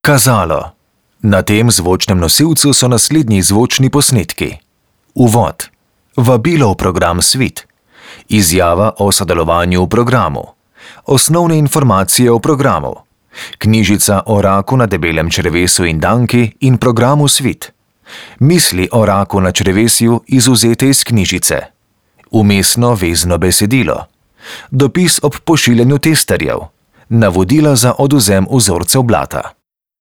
Kazalo. Na tem zvočnem nosilcu so naslednji zvočni posnetki. Uvod. Vabilo v program Svit. Izjava o sodelovanju v programu. Osnovne informacije o programu. Knjižica o raku na debelem črevesu in danki in programu Svit. Misli o raku na črevesju izvzete iz knjižice. Vmesno vezno besedilo. Dopis ob pošiljanju testerjev. Navodila za odvzem vzorcev blata.